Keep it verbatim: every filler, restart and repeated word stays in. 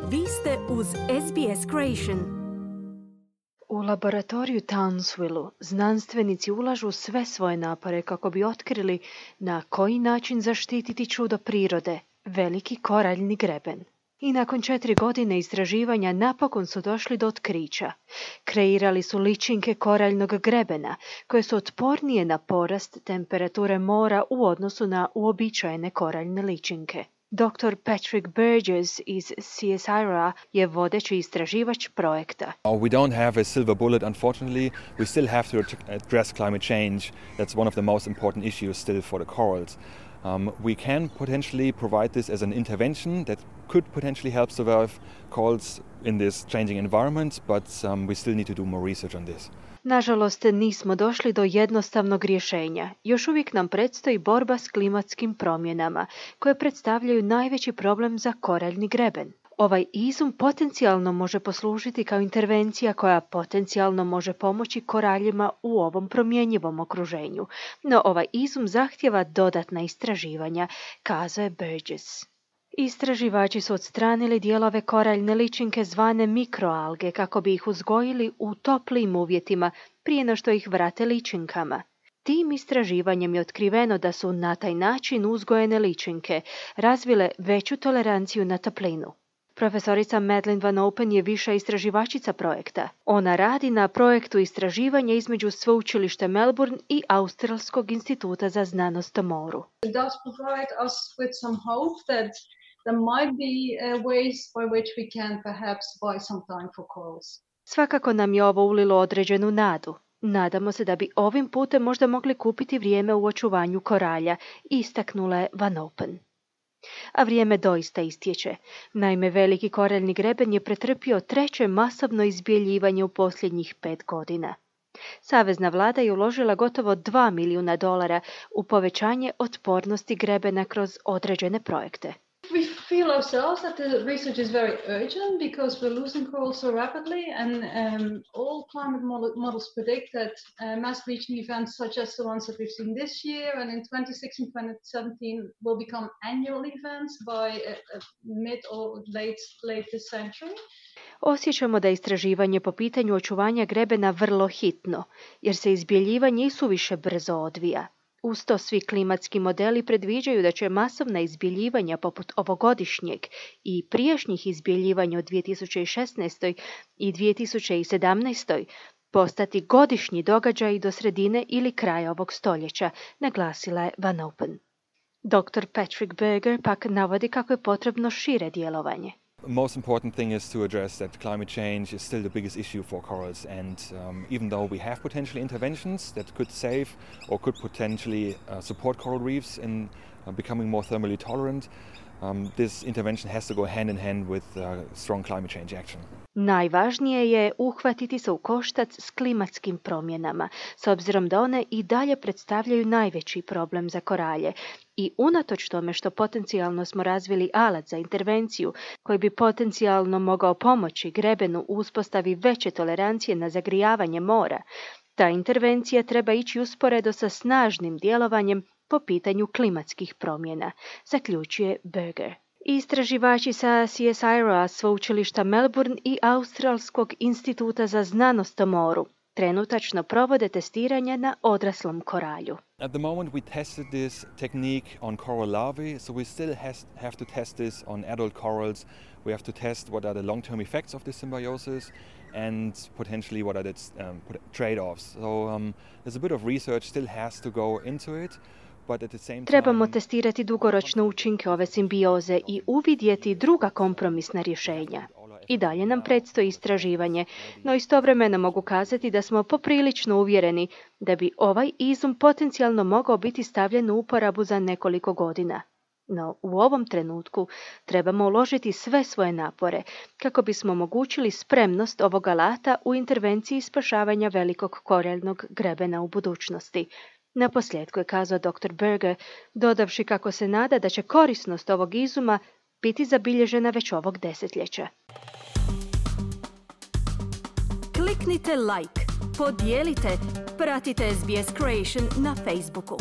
Vi ste uz S B S Creation. U laboratoriju Townsvillu znanstvenici ulažu sve svoje napore kako bi otkrili na koji način zaštititi čudo prirode, veliki koraljni greben. I nakon četiri godine istraživanja napokon su došli do otkrića. Kreirali su ličinke koraljnog grebena, koje su otpornije na porast temperature mora u odnosu na uobičajene koraljne ličinke. doktor Patrick Burgess iz C S I R O-a je vodeći istraživač projekta. We don't have a silver bullet, unfortunately. We still have to address climate change. That's one of the most important issues still for the corals. Um, we can potentially provide this as an intervention that could potentially help survive corals in this changing environment, but um, we still need to do more research on this. Nažalost, nismo došli do jednostavnog rješenja. Još uvijek nam predstoji borba s klimatskim promjenama, koje predstavljaju najveći problem za koraljni greben. Ovaj izum potencijalno može poslužiti kao intervencija koja potencijalno može pomoći koraljima u ovom promjenjivom okruženju. No ovaj izum zahtijeva dodatna istraživanja, kazao je Burgess. Istraživači su odstranili dijelove koraljne ličinke zvane mikroalge kako bi ih uzgojili u toplijim uvjetima prije no što ih vrate ličinkama. Tim istraživanjem je otkriveno da su na taj način uzgojene ličinke razvile veću toleranciju na toplinu. Profesorica Madeleine Van Open je viša istraživačica projekta. Ona radi na projektu istraživanja između Sveučilišta Melbourne i Australskog instituta za znanost o moru. It does provide us with some hope that there might be uh, ways by which we can perhaps buy some time for corals. Svakako nam je ovo ulilo određenu nadu. Nadamo se da bi ovim putem možda mogli kupiti vrijeme u očuvanju koralja, istaknula je Van Open. A vrijeme doista istječe. Naime, veliki koraljni greben je pretrpio treće masovno izbjeljivanje u posljednjih pet godina. Savezna vlada je uložila gotovo dva milijuna dolara u povećanje otpornosti grebena kroz određene projekte. We feel ourselves that the research is very urgent because we're losing corals so rapidly, and um, all climate model, models predict that uh, mass bleaching events such as the ones that we've seen this year and in twenty sixteen twenty seventeen will become annual events by uh, uh, mid or late, late this century. Osjećamo da je istraživanje po pitanju očuvanja grebena vrlo hitno, jer se izbjeljivanje i suviše brzo odvija. Uz to svi klimatski modeli predviđaju da će masovna izbjeljivanja poput ovogodišnjeg i prijašnjih izbjeljivanja u dvije tisuće šesnaestoj i dvije tisuće sedamnaestoj postati godišnji događaji do sredine ili kraja ovog stoljeća, naglasila je Van Open. doktor Patrick Berger pak navodi kako je potrebno šire djelovanje. Most important thing is to address that climate change is still the biggest issue for corals, and um, even though we have potential interventions that could save or could potentially uh, support coral reefs in uh, becoming more thermally tolerant, um, this intervention has to go hand in hand with uh, strong climate change action. Najvažnije je uhvatiti se u koštac s klimatskim promjenama, s obzirom da one i dalje predstavljaju najveći problem za koralje. I unatoč tome što potencijalno smo razvili alat za intervenciju koji bi potencijalno mogao pomoći grebenu u uspostavi veće tolerancije na zagrijavanje mora, ta intervencija treba ići usporedo sa snažnim djelovanjem po pitanju klimatskih promjena, zaključuje Berger. Istraživači sa C S I R O-a, Sveučilišta Melbourne i Australskog instituta za znanost o moru trenutačno provode testiranja na odraslom koralju. At the moment we tested this technique on coral larvae, so we still has, have to test this on adult corals. We have to test what are the long-term effects of this symbiosis and potentially what are the um, trade-offs. So um, there's a bit of research still has to go into it. Trebamo testirati dugoročne učinke ove simbioze i uvidjeti druga kompromisna rješenja. I dalje nam predstoji istraživanje, no istovremeno mogu kazati da smo poprilično uvjereni da bi ovaj izum potencijalno mogao biti stavljen u uporabu za nekoliko godina. No u ovom trenutku trebamo uložiti sve svoje napore kako bismo omogućili spremnost ovog alata u intervenciji spašavanja velikog koraljnog grebena u budućnosti. Na posljedku je kazao doktor Berger, dodavši kako se nada da će korisnost ovog izuma biti zabilježena već ovog desetljeća. Kliknite like, podijelite, pratite S B S Creation na Facebooku.